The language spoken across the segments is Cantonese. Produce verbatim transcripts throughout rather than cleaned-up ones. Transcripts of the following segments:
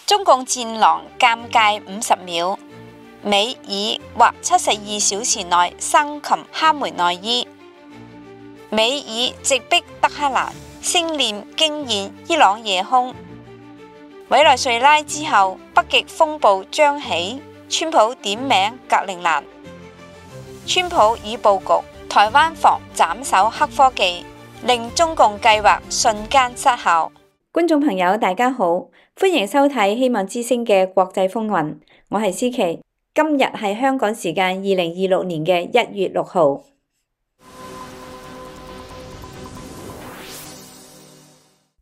中共戰狼尷尬五十秒，美以或七十二小時內生擒哈梅內伊。美以直逼德黑蘭，星鏈驚現伊朗夜空。委內瑞拉之後，北極風暴將起，川普點名格陵蘭。川普已佈局，台灣防斬首黑科技，令中共計劃瞬間失效。觀眾朋友大家好，歡迎收睇希望之聲嘅國際風雲，我係思琪。今日係香港時間二零二六年嘅一月六號。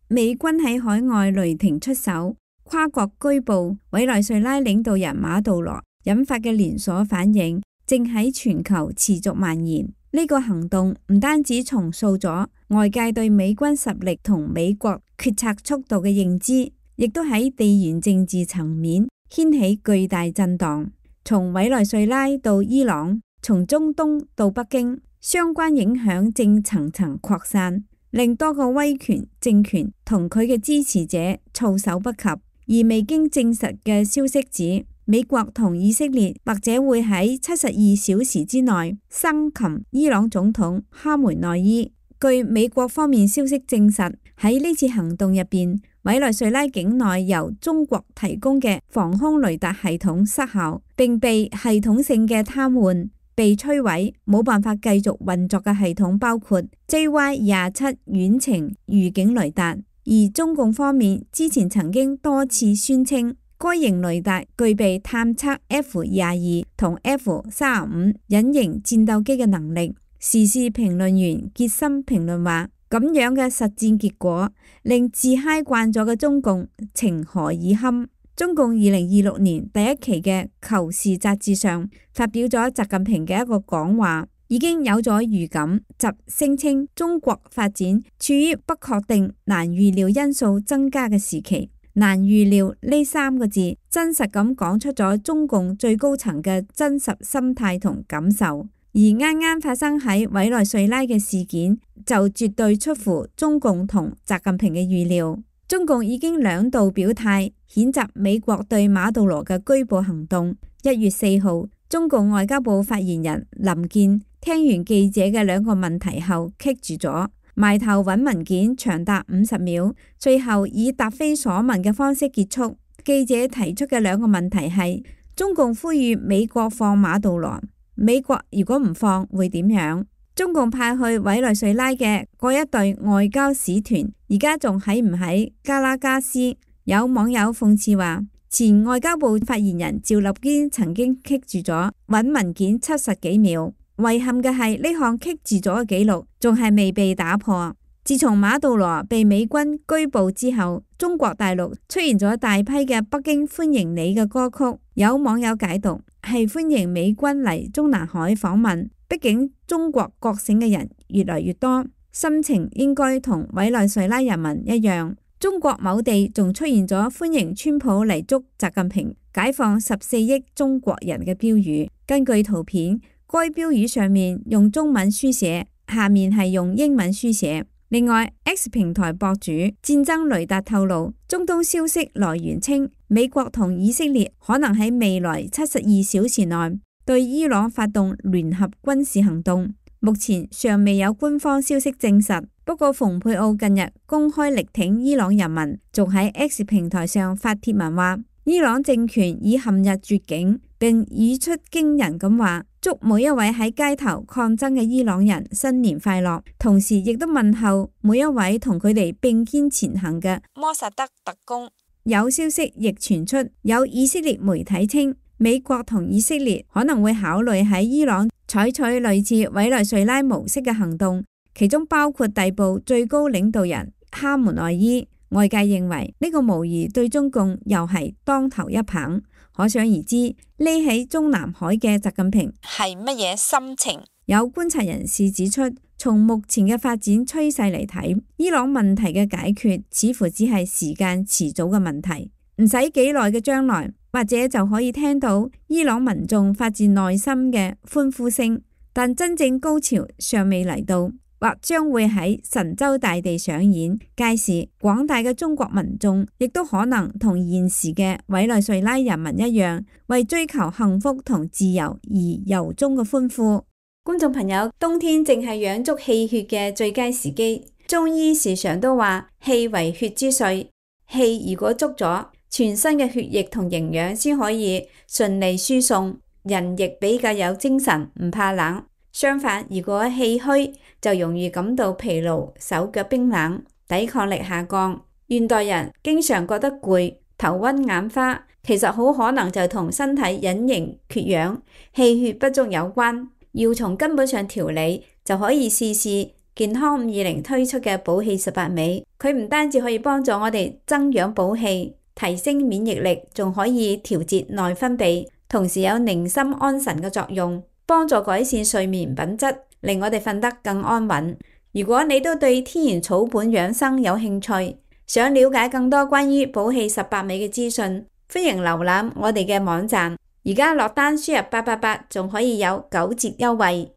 美軍喺海外雷霆出手，跨國拘捕委內瑞拉領導人馬杜羅，引發嘅連鎖反應正喺全球持續蔓延。呢個行動唔單止重塑咗外界對美軍實力同美國決策速度嘅認知，亦都喺地緣政治層面掀起巨大震盪。從委內瑞拉到伊朗，從中東到北京，相關影響正層層擴散，令多個威權政權同佢嘅支持者措手不及。而未經證實嘅消息指，美國同以色列或者會喺七十二小時之內生擒伊朗總統哈梅內伊。據美國方面消息證實，喺呢次行動入邊，委內瑞拉境內由中國提供嘅防空雷達系統失效，並被系統性嘅癱瘓、被摧毀，冇辦法繼續運作嘅系統包括 J Y 廿七遠程預警雷達。而中共方面之前曾經多次宣稱，該型雷達具備探測 F 廿二同 F 三十五隱形戰鬥機嘅能力。時事評論員傑森評論話，咁樣嘅實戰結果令自嗨慣咗嘅中共情何以堪。中共二零二六年第一期嘅《求是》雜誌上發表咗習近平嘅一個講話，已經有咗預感，即聲稱中國發展處於不確定、難預料因素增加嘅時期。難預料呢三個字真實咁講出咗中共最高層嘅真實心態同感受。而啱啱發生喺委內瑞拉嘅事件就絕對出乎中共同習近平嘅預料。中共已經兩度表態譴責美國對馬杜羅嘅拘捕行動。一月四號，中共外交部發言人林健聽完記者嘅兩個問題後棘住咗，埋頭揾文件長達五十秒，最後以答非所問嘅方式結束。記者提出嘅兩個問題係：中共呼籲美國放馬杜羅，美國如果唔放會點樣？中共派去委內瑞拉嘅嗰一隊外交使團而家仲喺唔喺加拉加斯？有網友諷刺話，前外交部發言人趙立堅曾經棘住咗揾文件七十幾秒。遺憾嘅係呢項棘住咗嘅紀錄仲係未被打破。自從馬杜羅被美軍拘捕之後，中國大陸出現咗大批嘅北京歡迎你嘅歌曲，有網友解讀係歡迎美軍嚟中南海訪問。畢竟中國覺醒嘅人越嚟越多，心情應該同委內瑞拉人民一樣。中國某地仲出現咗歡迎川普嚟祝習近平解放十四億中國人嘅標語。根據圖片，該標語上面用中文書寫，下面係用英文書寫。另外 X 平台博主戰爭雷達透露，中東消息來源稱，美國同以色列可能喺未來七十二小時內對伊朗發動聯合軍事行動。目前尚未有官方消息證實，不過蓬佩奧近日公開力挺伊朗人民，仲喺 X 平台上發帖文話，伊朗政權已陷入絕境，並語出驚人咁話，祝每一位喺街頭抗爭嘅伊朗人新年快樂，同時亦都問候每一位同佢哋並肩前行嘅摩薩德特工。有消息亦傳出，有以色列媒體稱，美國同以色列可能會考慮喺伊朗採取類似委內瑞拉模式嘅行動，其中包括逮捕最高領導人哈梅內伊。外界認為呢個無疑對中共又係當頭一棒。可想而知，匿喺中南海嘅習近平係乜嘢心情？有觀察人士指出，從目前嘅發展趨勢嚟睇，伊朗問題嘅解決似乎只係時間遲早嘅問題，唔使幾耐嘅將來，或者就可以聽到伊朗民眾發自內心嘅歡呼聲。但真正高潮尚未嚟到。或將會喺神州大地上演。屆時，廣大嘅中國民眾亦都可能同現時嘅委內瑞拉人民一樣，為追求幸福同自由而由衷嘅歡呼。觀眾朋友，冬天正係養足氣血嘅最佳時機。中醫時常都話氣為血之髓，氣如果足咗，全身嘅血液同營養先可以順利輸送，人亦比較有精神，唔怕冷。相反，如果氣虛，就容易感到疲勞、手腳冰冷、抵抗力下降。現代人經常覺得攰、頭暈眼花，其實好可能就同身體隱形缺氧、氣血不足有關。要從根本上調理，就可以試試健康五二零推出嘅補氣十八味。佢唔單止可以幫助我哋增氧補氣、提升免疫力，仲可以調節內分泌，同時有寧心安神嘅作用，幫助改善睡眠品質，令我哋瞓得更安穩。如果你都對天然草本養生有興趣，想了解更多關於補氣十八味嘅資訊，歡迎瀏覽我哋嘅網站。而家落單輸入八八八，仲可以有九折優惠。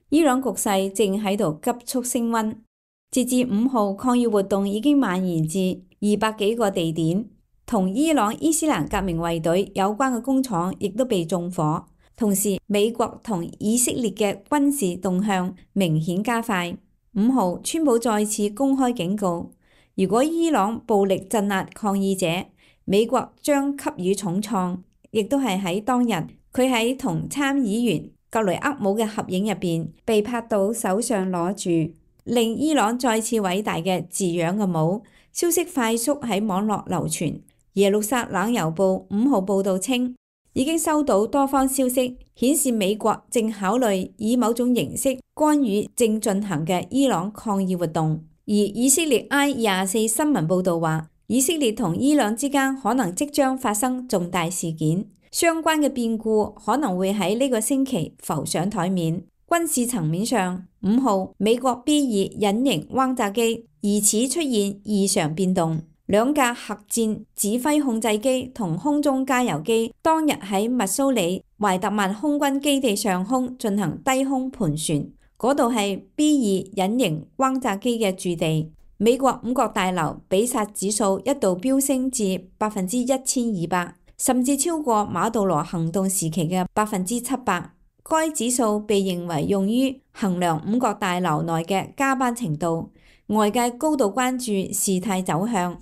伊朗局勢正喺度急速升溫，截至五號，抗議活動已經蔓延至二百幾個地點，同伊朗伊斯蘭革命衛隊有關嘅工廠亦都被縱火。同時，美國同以色列嘅軍事動向明顯加快。五號，川普再次公開警告，如果伊朗暴力鎮壓抗議者，美國將給予重創。亦都係喺當日，佢喺同參議員格雷厄姆嘅合影入邊，被拍到手上攞住令伊朗再次偉大嘅字樣嘅帽。消息快速喺網絡流傳。耶路撒冷郵報五號報道稱，已經收到多方消息，顯示美國正考慮以某種形式干預正進行嘅伊朗抗議活動。而以色列 I 廿四新聞報道話，以色列同伊朗之間可能即將發生重大事件，相關嘅變故可能會喺呢個星期浮上台面。軍事層面上，五號美國 B 二隱形轟炸機疑似出現異常變動，兩架核戰指揮控制機同空中加油機當日喺密蘇里懷特曼空軍基地上空進行低空盤旋，嗰度係 B 二隱形轟炸機嘅駐地。美國五角大樓比薩指數一度飆升至百分之一千二百，甚至超過馬杜羅行動時期嘅百分之七百。該指數被認為用於衡量五角大樓內嘅加班程度，外界高度關注事態走向。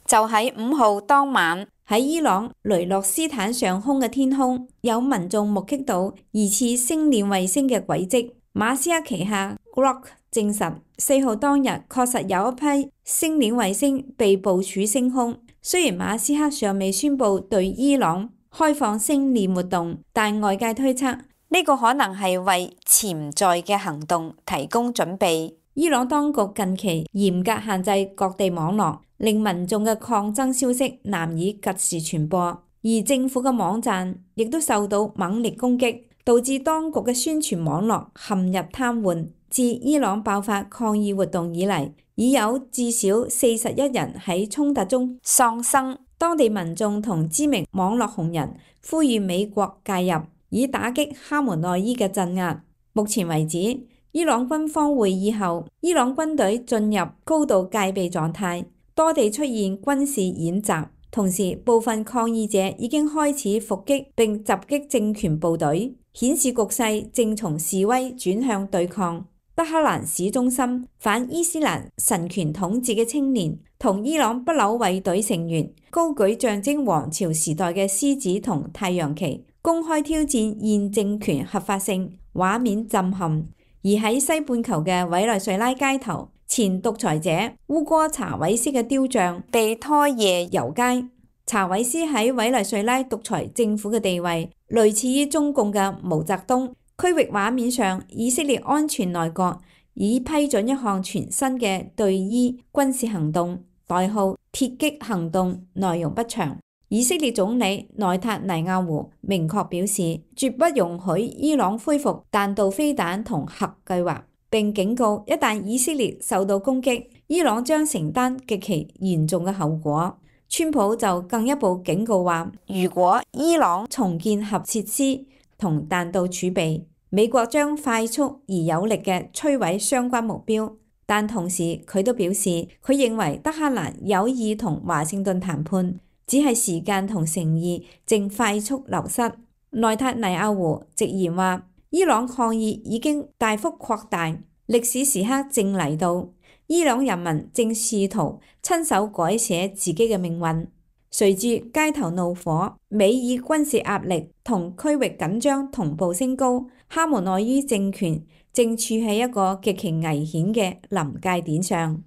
就喺五號當晚，喺伊朗雷諾斯坦上空嘅天空，有民眾目擊到疑似星鏈衛星嘅軌跡。馬斯克旗下 Grok 證實，四號當日確實有一批星鏈衛星被部署升空。雖然馬斯克尚未宣布對伊朗開放星鏈活動，但外界推測呢個可能係為潛在嘅行動提供準備。伊朗當局近期嚴格限制各地網絡，令民眾嘅抗爭消息難以及時傳播，而政府嘅網站亦都受到猛烈攻擊，導致當局嘅宣傳網絡陷入癱瘓。自伊朗爆發抗議活動以嚟，已有至少四十一人喺衝突中喪生。當地民眾同知名網絡紅人呼籲美國介入，以打擊哈梅內伊嘅鎮壓。目前為止，伊朗軍方會議後，伊朗軍隊進入高度戒備狀態，多地出現軍事演習。同時，部分抗議者已經開始伏擊並襲擊政權部隊，顯示局勢正從示威轉向對抗。德黑蘭市中心反伊斯蘭神權統治嘅青年同伊朗不朽衛隊成員高舉象徵王朝時代嘅獅子同太陽旗，公開挑戰現政權合法性，畫面震撼。而喺西半球嘅委內瑞拉街頭，前獨裁者烏哥查韋斯嘅雕像被拖夜遊街。查韋斯喺委內瑞拉獨裁政府嘅地位類似於中共嘅毛澤東。區域畫面上，以色列安全內閣已批准一項全新嘅對伊軍事行動，代號鐵擊行動，內容不詳。以色列總理內塔尼亞胡明確表示，絕不容許伊朗恢復彈道飛彈同核計劃，並警告一旦以色列受到攻擊，伊朗將承擔極其嚴重嘅後果。川普就更一步警告話，如果伊朗重建核設施同彈道儲備，美國將快速而有力嘅摧毀相關目標。但同時佢都表示，佢認為德黑蘭有意同華盛頓談判，只係時間同誠意正快速流失。內塔尼亞胡直言話，伊朗抗議已經大幅擴大，歷史時刻正嚟到，伊朗人民正試圖親手改寫自己嘅命運。隨住街頭怒火、美以軍事壓力同區域緊張同步升高，哈梅內伊政權正處喺一個極其危險嘅臨界點上。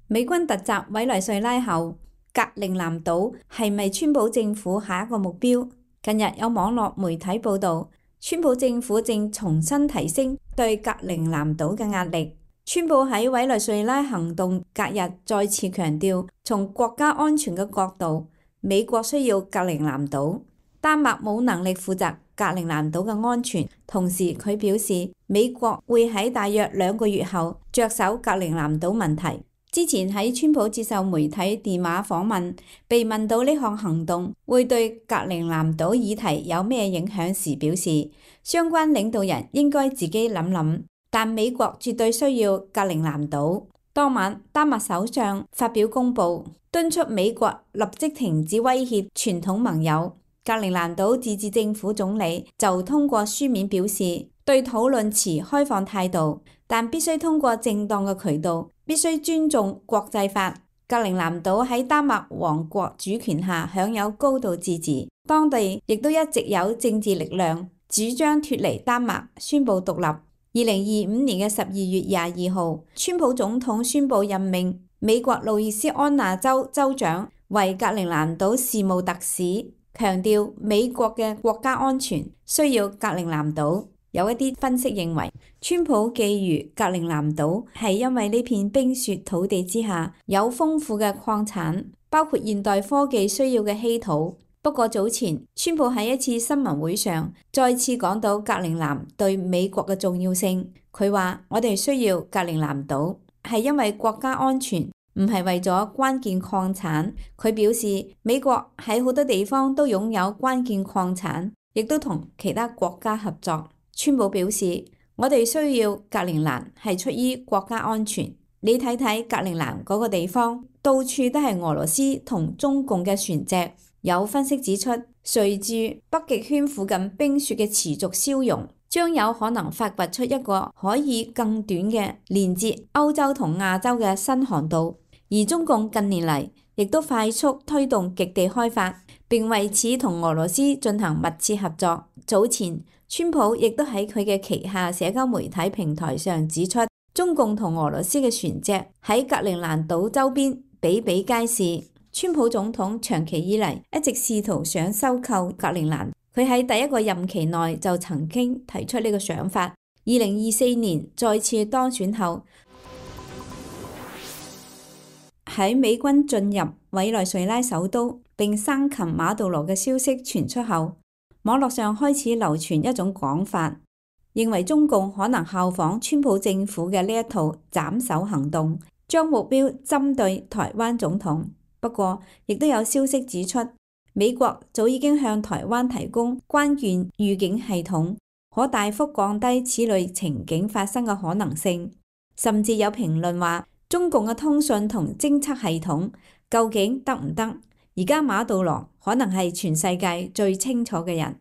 美軍突襲委內瑞拉後，格陵蘭島係咪川普政府下一個目標？近日有網絡媒體報導，川普政府正重新提升對格陵蘭島嘅壓力。川普喺委內瑞拉行動隔日再次強調，從國家安全嘅角度，美國需要格陵蘭島，丹麥冇能力負責格陵蘭島嘅安全。同時佢表示，美國會喺大約兩個月後着手格陵蘭島問題。之前喺川普接受媒體電話訪問，被問到呢項行動會對格陵蘭島議題有咩影響時，表示相關領導人應該自己諗諗。但美國絕對需要格陵蘭島。當晚，丹麥首相發表公報，敦促美國立即停止威脅傳統盟友。格陵蘭島自治政府總理就通過書面表示，對討論持開放態度，但必須通過正當嘅渠道，必須尊重國際法。格陵蘭島喺丹麥王國主權下享有高度自治，當地亦都一直有政治力量主張脫離丹麥，宣布獨立。二零二五年嘅十二月廿二號，川普總統宣布任命美國路易斯安那州州長為格陵蘭島事務特使，強調美國嘅國家安全需要格陵蘭島。有一啲分析認為，川普覬覦格陵蘭島係因為呢片冰雪土地之下有豐富嘅礦產，包括現代科技需要嘅稀土。不過早前，川普喺一次新聞會上再次講到格陵蘭對美國嘅重要性。佢話：我哋需要格陵蘭島，係因為國家安全，唔係為咗關鍵礦產。佢表示，美國喺好多地方都擁有關鍵礦產，亦都同其他國家合作。川普表示，我哋需要格陵蘭係出於國家安全。你睇睇格陵蘭嗰個地方，到處都係俄羅斯同中共嘅船隻。有分析指出，隨住北極圈附近冰雪嘅持續消融，將有可能發掘出一個可以更短嘅連接歐洲同亞洲嘅新航道。而中共近年嚟亦都快速推動極地開發，並為此同俄羅斯進行密切合作。早前，川普亦都喺佢嘅旗下社交媒體平台上指出，中共同俄羅斯嘅船隻喺格陵蘭島周邊比比皆是。川普總統長期以嚟一直試圖想收購格陵蘭，佢喺第一個任期內就曾經提出呢個想法。二零二四年再次當選後，喺美軍進入委內瑞拉首都並生擒馬杜羅嘅消息傳出後，網絡上開始流傳一種講法，認為中共可能效仿川普政府嘅呢一套斬首行動，將目標針對台灣總統。不過，亦都有消息指出，美國早已經向台灣提供關鍵預警系統，可大幅降低此類情景發生嘅可能性。甚至有評論話，中共嘅通訊同偵測系統究竟得唔得？而家馬杜羅可能係全世界最清楚嘅人。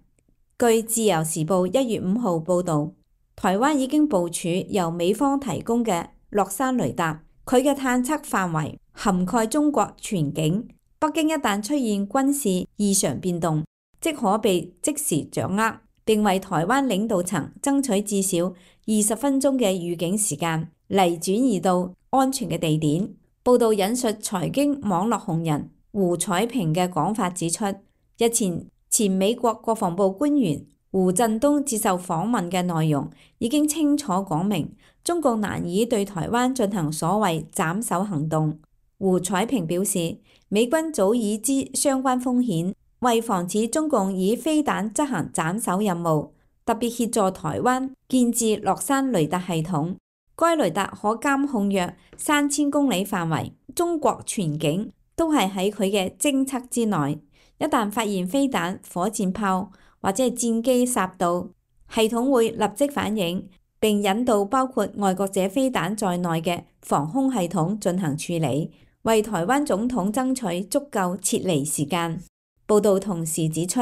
據自由時報一月五號報導，台灣已經部署由美方提供嘅洛山雷達，佢嘅探測範圍涵蓋中國全境，北京一旦出現軍事異常變動，即可被即時掌握，並為台灣領導層爭取至少二十分鐘嘅預警時間嚟轉移到安全嘅地點。報道引述財經網絡紅人胡彩萍嘅講法指出，日前前美國國防部官員胡振東接受訪問嘅內容已經清楚講明，中共難以對台灣進行所謂斬首行動。胡彩萍表示，美軍早已知相關風險，為防止中共以飛彈執行斬首任務，特別協助台灣建置洛山雷達系統。該雷達可監控約三千公里範圍，中國全境都係喺佢嘅偵測之內。一旦發現飛彈、火箭炮或者係戰機殺到，系統會立即反應，並引導包括愛國者飛彈在內嘅防空系統進行處理，為台灣總統爭取足夠撤離時間。報道同時指出，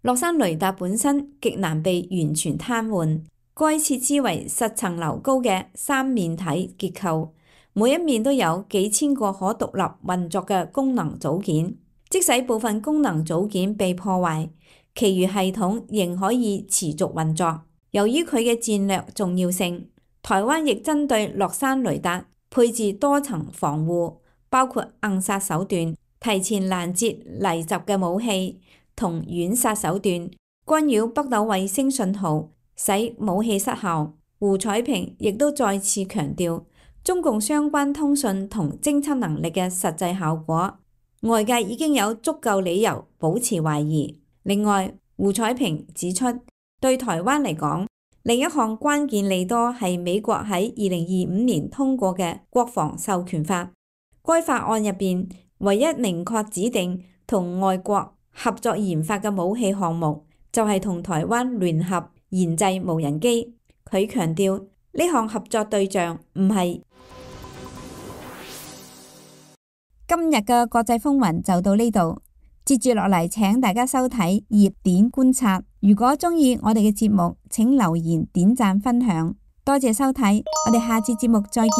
洛山雷達本身極難被完全癱瘓，該設施為十層樓高嘅三面體結構，每一面都有幾千個可獨立運作嘅功能組件。即使部分功能組件被破壞，其餘系統仍可以持續運作。由於佢嘅戰略重要性，台灣亦針對洛山雷達配置多層防護，包括硬殺手段、提前攔截嚟襲嘅武器同軟殺手段，干擾北斗衛星信號，使武器失效。胡彩萍亦都再次強調中共相關通訊同偵測能力嘅實際效果，外界已經有足夠理由保持懷疑。另外，胡彩萍指出，對台灣嚟講，另一項關鍵利多係美國喺二零二五年通過嘅國防授權法。該法案入邊唯一明確指定同外國合作研發嘅武器項目，就係同台灣聯合研製無人機。佢強調呢項合作對象唔係。今日嘅國際風雲就到呢度，接住落嚟請大家收睇熱點觀察。如果鍾意我哋嘅節目，請留言、點讚、分享。多謝收睇，我哋下次節目再見。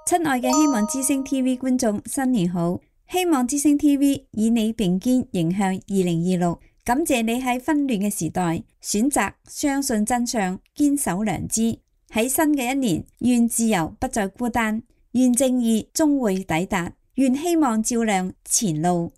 親愛嘅希望之聲 T V 觀眾，新年好！希望之聲 T V 以你並肩迎向二零二六，感謝你喺紛亂嘅時代選擇相信真相，堅守良知。喺新嘅一年，願自由不再孤單，願正義終會抵達，願希望照亮前路。